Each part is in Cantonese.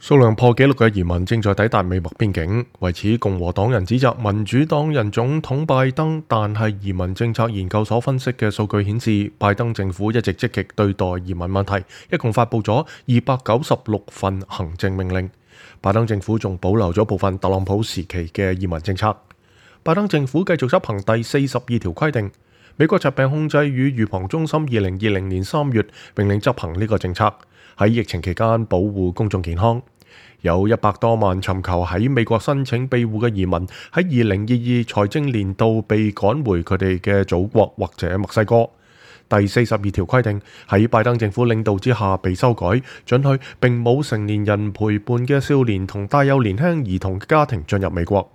數量破紀錄嘅移民正在抵達美墨邊境，為此共和黨人指責民主黨人總統拜登，但係移民政策研究所分析嘅數據顯示，拜登政府一直積極對待移民問題，一共發布咗296份行政命令。拜登政府仲保留咗部分特朗普時期嘅移民政策。拜登政府繼續執行第42條規定。美國疾病控制與預防中心2020年3月命令執行呢個政策，喺疫情期間保護公眾健康。有100多萬尋求喺美國申請庇護嘅移民喺2022財政年度被趕回佢哋嘅祖國或者墨西哥。第42條規定喺拜登政府領導之下被修改，准許並冇成年人陪伴嘅少年同帶有年輕兒童嘅家庭進入美國。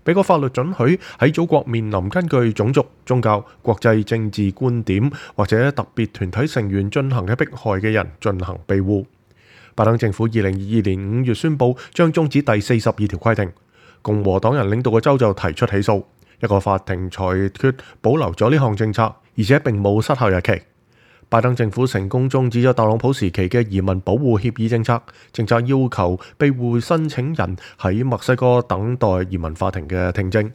美國法律准許喺祖國面臨根據種族、宗教、國際政治觀點或者特別團體成員進行嘅迫害嘅人進行庇護。拜登政府2022年5月宣布將終止第42條規定，共和黨人領導嘅州就提出起訴，一個法庭裁決保留咗呢項政策，而且並冇失效日期。拜登政府成功終止咗特朗普時期嘅移民保護協議政策，政策要求庇護申請人喺墨西哥等待移民法庭嘅聽證。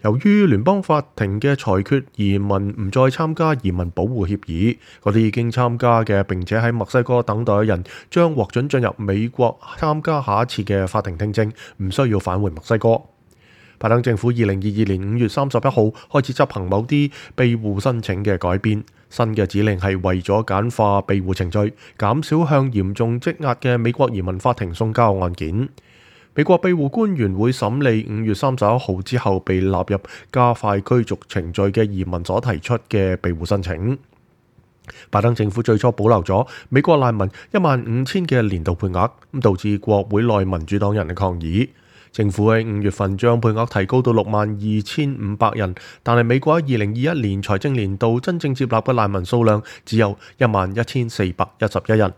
由於聯邦法庭嘅裁決，移民唔再參加移民保護協議，嗰啲已經參加嘅並且喺墨西哥等待嘅人將獲准進入美國參加下一次嘅法庭聽證，唔需要返回墨西哥。拜登政府2022年5月31號開始執行某啲庇護申請嘅改變，新嘅指令係為咗簡化庇護程序，減少向嚴重積壓嘅美國移民法庭送交案件。美國庇護官員會審理5月31號之後被納入加快驅逐程序嘅移民所提出嘅庇護申請。拜登政府最初保留咗美國難民15000嘅年度配額，導致國會內民主黨人嘅抗議。政府喺5月份將配額提高到62500人，但係美國喺2021年財政年度真正接納嘅難民數量只有11411人。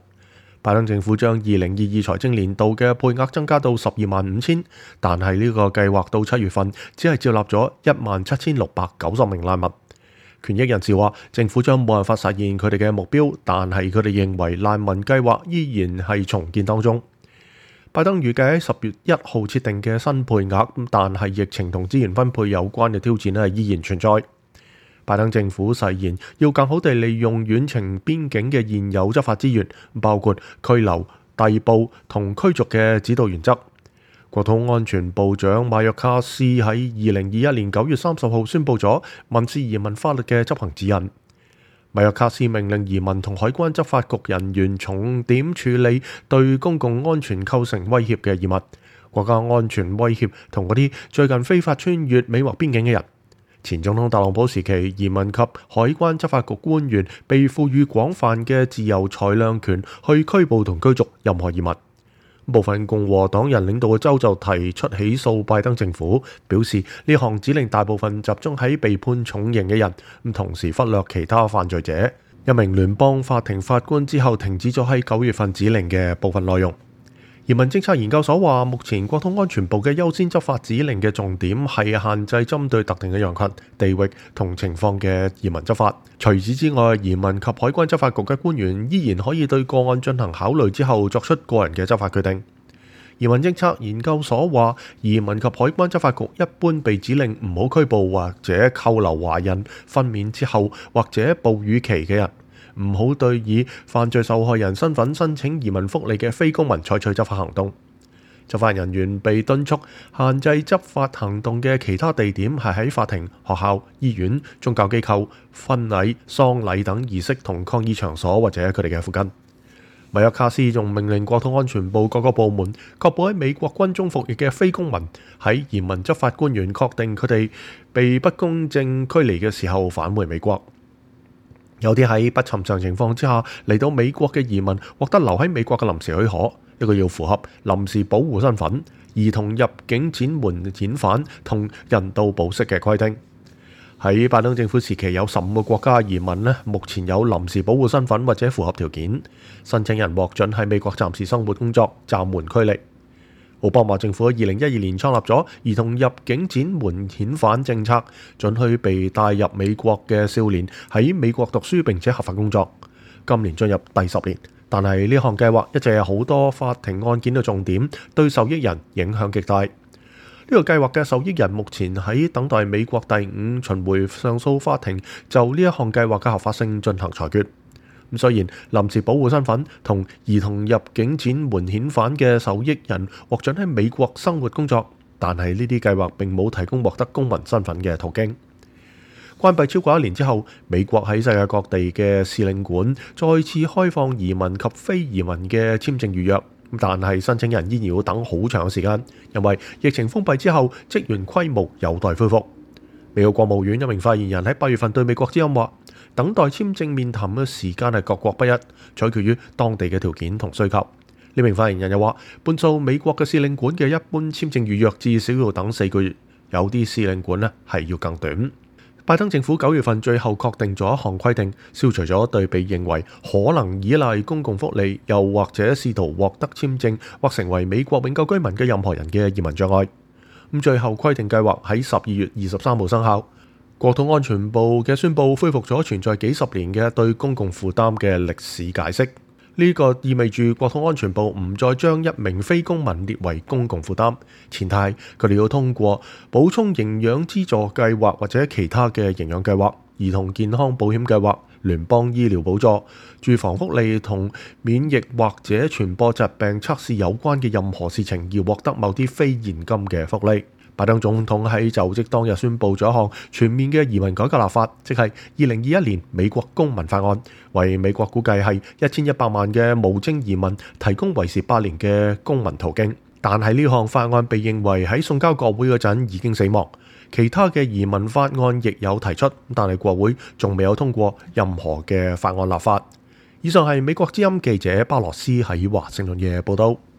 拜登政府將2022財政年度嘅配額增加到125,000，但係呢個計劃到7月份只係接納咗17690名難民。權益人士話，政府將冇辦法實現佢哋嘅目標，但係佢哋認為難民計劃依然係重建當中。拜登預計喺10月1號設定嘅新配額，但係疫情同資源分配有關嘅挑戰依然存在。拜登政府誓言要更好地利用遠程邊境嘅現有執法資源，包括拘留、逮捕同驅逐嘅指導原則。國土安全部長馬約卡斯喺2021年9月30號宣布咗民事移民法律嘅執行指引。馬約卡斯命令移民同海關執法局人員重點處理對公共安全構成威脅嘅移民、國家安全威脅同嗰啲最近非法穿越美墨邊境嘅人。前總統特朗普時期，移民及海關執法局官員被賦予廣泛嘅自由裁量權去拘捕同驅逐任何移民。部分共和黨人領導嘅州就提出起訴拜登政府，表示呢項指令大部分集中喺被判重刑嘅人，同時忽略其他犯罪者。一名聯邦法庭法官之後停止咗喺9月份指令嘅部分內容。移民政策研究所話，目前國土安全部嘅優先執法指令嘅重點係限制針對特定嘅人群、地域同情況嘅移民執法。除此之外，移民及海關執法局嘅官員依然可以對個案進行考慮之後作出個人嘅執法決定。移民政策研究所話，移民及海關執法局一般被指令唔好拘捕或者扣留懷孕、分娩之後或者哺乳期嘅人。唔好對以犯罪受害人身份申請移民福利嘅非公民採取執法行動。執法人員被敦促限制執法行動嘅其他地點係喺法庭、學校、醫院、宗教機構、婚禮、喪禮等儀式同抗議場所或者佢哋嘅附近。米約卡斯仲命令國土安全部各個部門確保喺美國軍中服役嘅非公民喺移民執法官員確定佢哋被不公正驅離嘅時候返回美國。有啲喺不尋常情況之下嚟到美國嘅移民獲得留喺美國嘅臨時許可，呢個要符合臨時保護身份、兒童入境展緩遣返同人道保釋嘅規定。喺拜登政府時期，有15個國家移民目前有臨時保護身份或者符合條件，申請人獲准喺美國暫時生活工作，暫緩驅離。奧巴馬政府喺2012年創立咗兒童入境展緩遣返政策，准許被帶入美國嘅少年喺美國讀書並且合法工作。今年進入第10年，但係呢項計劃一直有好多法庭案件嘅重點，對受益人影響極大。呢個計劃嘅受益人目前喺等待美國第5巡迴上訴法庭就呢一項計劃嘅合法性進行裁決。咁雖然臨時保護身份同兒童入境展援遣返嘅受益人獲准喺美國生活工作，但係呢啲計劃並冇提供獲得公民身份嘅途徑。關閉超過1年之後，美國喺世界各地嘅使領館再次開放移民及非移民嘅簽證預約，但係申請人依然要等好長嘅時間，因為疫情封閉之後，職員規模有待恢復。美國國務院一名發言人喺8月份對美國之音話，等待簽證面談嘅時間係各國不一，取決於當地嘅條件同需求。呢名發言人又話，半數美國嘅使領館嘅一般簽證預約至少要等4個月，有啲使領館係要更短。拜登政府9月份最後確定咗一項規定，消除咗對被認為可能依賴公共福利，又或者試圖獲得簽證或成為美國永久居民嘅任何人嘅移民障礙。最後規定計劃喺12月23號生效。國土安全部嘅宣佈恢復咗存在幾十年嘅對公共負擔嘅歷史解釋。呢個意味住國土安全部唔再將一名非公民列為公共負擔，前提係佢哋要通過補充營養資助計劃或者其他嘅營養計劃、兒童健康保險計劃、聯邦醫療補助、住房福利同免疫或者傳播疾病測試有關嘅任何事情，而獲得某啲非現金嘅福利。拜登總統喺就職當日宣布咗一項全面嘅移民改革立法，即係2021年美國公民法案，為美國估計係1100萬嘅無證移民提供為時8年嘅公民途徑。但係呢項法案被認為喺送交國會嗰陣已經死亡。其他嘅移民法案亦有提出，但係國會仲未有通過任何嘅法案立法。以上係美國之音記者巴羅斯喺華盛頓嘅報道。